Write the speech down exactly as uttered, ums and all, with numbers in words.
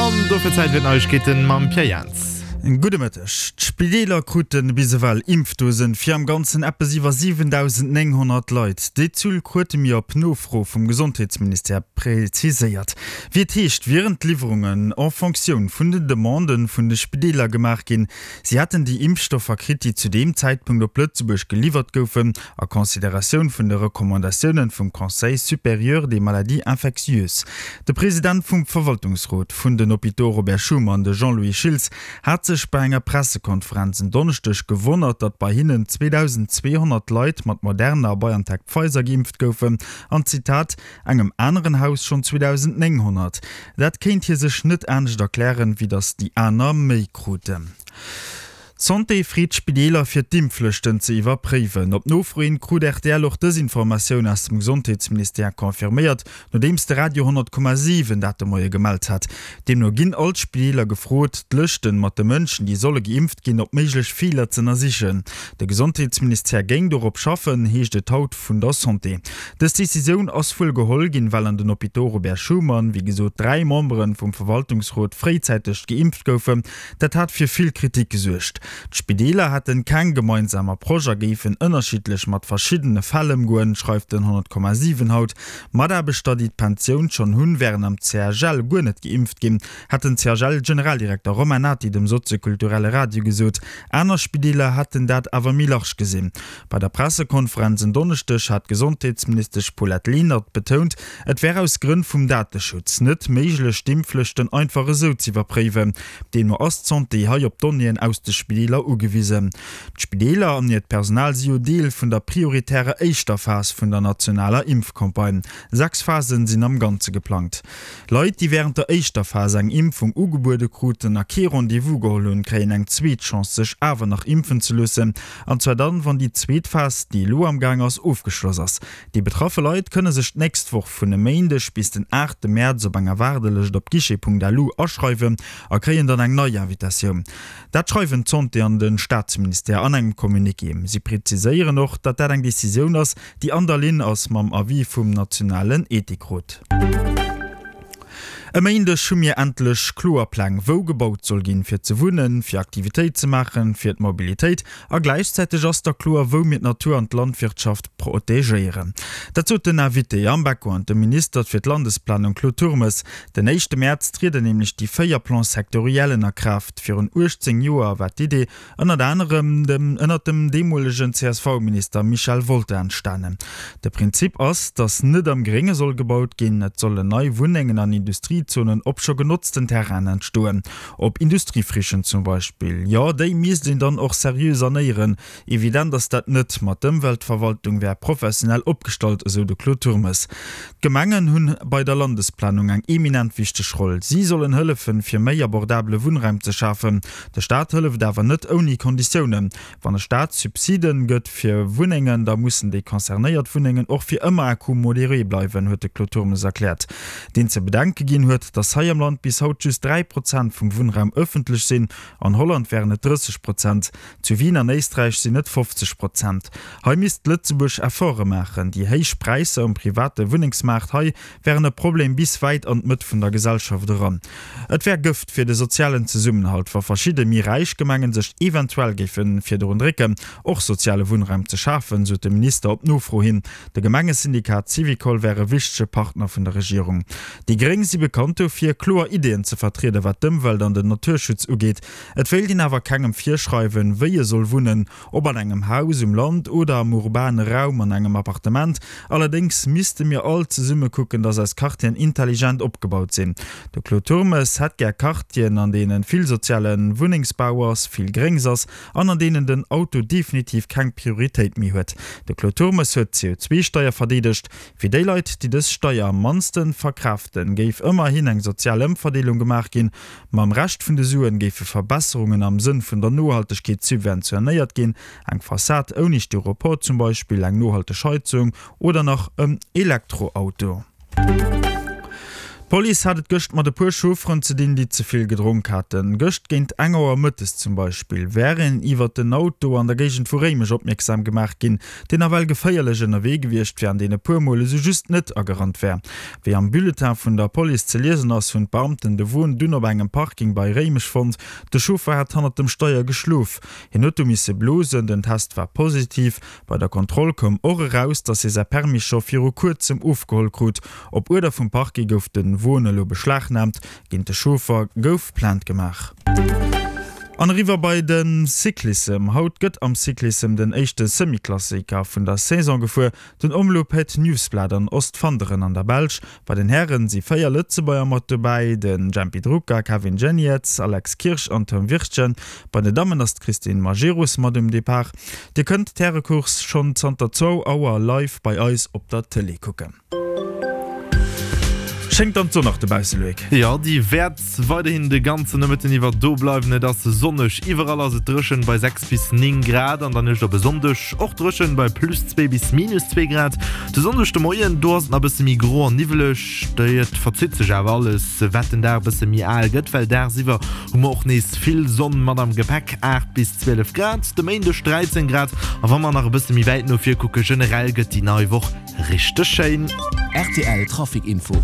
An dofir Zäit fir d'Neiegkeeten mam Pierre Jans. Gudde Mëtteg. D'Spideeler krute bis ewell Impfdosen fir am Ganzen eppes iwwer siwendausendnénghonnert Leit. Déi Zuel krute mir op Nofro vum Gesondheetsministère preziséiert. Wéi et heescht, wieren d'Liwwerungen en Fonctioun vun den Demanden vun de Spideeler gemaach ginn. Si hätten déi Impfstoffer kritt, déi zu deem Zäitpunkt op Lëtzebuerg geliwwert goufen, a Consideratioun vun de Recommandatiounen vum Conseil supérieur des maladies infectieuses. De President vum Verwaltungsrot vun den Hôpitaux Robert Schuman, de Jean-Louis Schiltz, hat sech bei enger Pressekonferenz en Donneschdeg gewonnert, datt bei hinnen zweedausendzweehonnert Leit mat Moderna a BioNTech-Pfizer geimpft goufen an, Zitat, engem aneren Haus schonn zweedausendnénghonnert. Dat kéint hie sech net anescht erklären, wéi datt déi aner méi kruten. D'Santé freet d'Spideeler fir d'Impflëschten ze iwwerpréiwen. Op Nofro hin krut rtl och dës Informatioun aus dem Gesondheetsministère confirméiert, nodeems de Radio honnert Komma siwen dat de Moie gemellt hat. Deemno ginn all d'Spideeler gefrot, d'Lëschten mat de Mënschen, déi solle geimpft ginn, op méiglech Feeler z'ënnersichen. De Gesondheetsministère géing dorop schaffen, heescht et haut vun der Santé. Dës Decisioun ass wuel geholl ginn, well an den Hôpitaux Robert Schuman, wéi gesot, dräi Membere vum Verwaltungsrot fréizäiteg geimpft goufen. Dat hat fir vill Kritik gesuergt. D'Spideeler hätten keng gemeinsam Approche a géifen ënnerschiddlech mat verschiddene Fäll ëmgoen, schreift den honnert Komma siwen haut. Mataarbechter, déi d'Pensioun schonn hunn, wären am C H L guer net geimpft ginn, hat den C H L-Generaldirekter Romain Nati dem soziokulturelle Radio gesot. Aner Spideeler hätten dat awer méi large gesinn. Bei der Pressekonferenz en Donneschdeg hat d'Gesondheetsministesch Paulette Lenert betount, et wär aus Grënn vum Dateschutz net méiglech, d'Impflëschten einfach esou z'iwwerpréiwen. Deemno ass d'Santé hei op Donnéeën aus de Spideeler ugewisen. D'Spideeler an hiert Personal si jo Deel vun der prioritärer éischter Phas vun der nationaler Impfcampagne. Sechs Phasen sinn am Ganze geplangt. Leit, déi wärend der éischter Phas eng Impfung ugebuede kruten a kee Rendez-vous geholl hunn, kréien eng zweet Chance, sech awer nach impfen ze loossen. An zwar dann, wann déi zweet Phas, déi elo am Gaang ass, ofgeschloss ass. Déi betraffe Leit kënne sech d'nächst Woch vun e Méindeg bis den aachte Mäerz op enger Waardelëscht op guichet Punkt lu aschreiwen a kréien dann eng nei Invitatioun. Dat schreiwen d'Santé an de Staatsministère an engem Communiqué. Si preziséieren och, datt dat eng Decisioun ass, déi an der Linn ass mam Avis vum nationalen Ethikrot. E Méindeg hu mir endlech kloer Pläng, wou gebaut soll ginn, fir ze wunnen, fir Aktivitéit ze maachen, fir d'Mobilitéit. A gläichzäiteg ass da kloer, wou mir d'Natur an d'Landwirtschaft protegéieren. Dat sot den Invité am Background, de Minister fir d'Landesplanung Claude Turmes. Den éischte Mäerz trieden nämlech déi véier Plans sectoriellen a Kraaft. Virun uechtzéng Joer war d'Idee ënnert anerem dem ënnert dem deemolegen C S V-Minister Michel Wolter entstanen. De Prinzip ass, datt net am Grénge soll gebaut ginn, et sollen nei Wunnengen an Industriezonen op scho genotzten Terrainen entstoen. Op Industriefrichen zum Beispill. Jo, déi misst een dann och seriö sanéieren. Evident ass dat net, ma d'Ëmweltverwaltung wär professionell opgestallt, esou de Claude Turmes. D'Gemengen hunn bei der Landesplanung eng eminent wichteg Roll. Si sollen hëllefen, fir méi abordabele Wunnraum ze schafen. De Staat hëlleft awer net ouni Konditiounen. Wann de Staat Subsiden gëtt fir Wunnengen, da mussen déi concernéiert Wunnengen och fir ëmmer à coût modéré bleiwen, huet de Claude Turmes erkläert. Deen ze bedenke ginn huet, datt hei am Land bis haut just dräi Prozent vum Wunnraum ëffentlech sinn. An Holland wären et drësseg Prozent. Zu Wien an Éisträich sinn et fofzeg Prozent. Hei misst Lëtzebuerg Efforte maachen. Déi héich Präisser um private Wunnengsmaart hei wären e Problem bis wäit an d'Mëtt vun der Gesellschaft eran. Et wär Gëft fir de sozialen Zesummenhalt, wa verschidde méi räich Gemengen sech eventuell géife virdrun drécken, och soziale Wunnraum ze schafen, sot de Minister op Nofro hin. De Gemengesyndikat Syvicol wär e wichtege Partner vun der Regierung. Déi Gréng si bekannt dofir, kloer Ideeën ze vertrieden, wat d'Ëmwelt an den Naturschutz ugeet. Et wéilt een awer kengem virschreiwen, wéi e soll wunnen, ob an engem Haus um Land oder am urbane Raum an engem Appartement. Allerdéngs misste mir all zesumme kucken, datt eis Quartieren intelligent opgebaut sinn. De Claude Turmes hätt gär Quartieren, an deene vill soziale Wunnengsbau ass, vill Gréngs ass an an deenen den Auto definitiv keng Prioritéit méi huet. De Claude Turmes huet d'C O zwei Steier verdeedegt. Fir déi Leit, déi dës Steier am mannste verkraaften, géif ëmmerhin eng sozial Ëmverdeelung gemaach ginn. Mam Rescht vun de Suen géife Verbesserungen am Sënn vun der Nohaltegkeet subventionéiert ginn. Eng Fassad ouni Styropor zum Beispill, eng nohalteg Heizung oder nach en Elektroauto. D'Police hat et gëscht mat e puer Chaufferen ze dinn, déi ze vill gedronk haten. Gëscht géint eng Auer mëttes zum Beispill wär een iwwert en Auto an der Géigend vu Réimech opmierksam gemaach ginn, deen nawell geféierlech ënnerwee gewiescht wär an deen e puer Mol esou just net agerannt wär. Wéi am Bulletin vun der Police ze liesen ass, hunn d'Beamten de Won dunn op engem Parking bei Réimech fonnt. De Chauffer hat hannert dem Steier geschlof. Hien huet du misse blosen, den Test war positiv. Bei der Kontroll koum och eraus, dass hie säi Permis scho viru kuerzem ofgeholl krut. Op Uerder vum Parquet gouf de Won elo beschlagnaamt. Géint de Chauffer gouf Plainte gemaach. An eriwwer bei de Cyclissem. Haut gëtt am Cyclissem den éischte Semi-Klassiker vun der Saison gefuer, den Omloop Het Nieuwsblad an Ostfanderen an der Belsch. Bei den Hären si véier Lëtzebuerger mat dobäi, de Jempy Drucker, Kevin Geniets, Alex Kirsch an Tom Wirtgen. Bei den Dammen ass d'Christine Majerus mat um Depart. Dir kënnt d'Härecourse schonn zanter zwou Auer live bei eis op der Tëlee kucken. Schéngt dann d'Sonn nach dobausse, Loïc? Jo, déi wäert weiderhin de ganzen Nomëtten iwwer do bleiwen. Et ass sonneg, iwwerall ass et dréchen bei sechs bis néng Grad an der Nuecht op e Sonndeg och dréchen bei plus zwee bis minus zwee Grad. De Sonndeg de Moien, do ass et nach e bësse méi gro an niwweleg, et verzitt sech awer alles, wat den Dag e bësse méi al gëtt, well dagsiwwer hu mer och nees vill Sonn mat am Gepäck, aacht bis zwielef Grad, de Méindeg dräizéng Grad. A wa mer nach e bësse méi wäit no vir kucken, generell gëtt déi nei Woch richteg schéin. Rtl Trafic Info.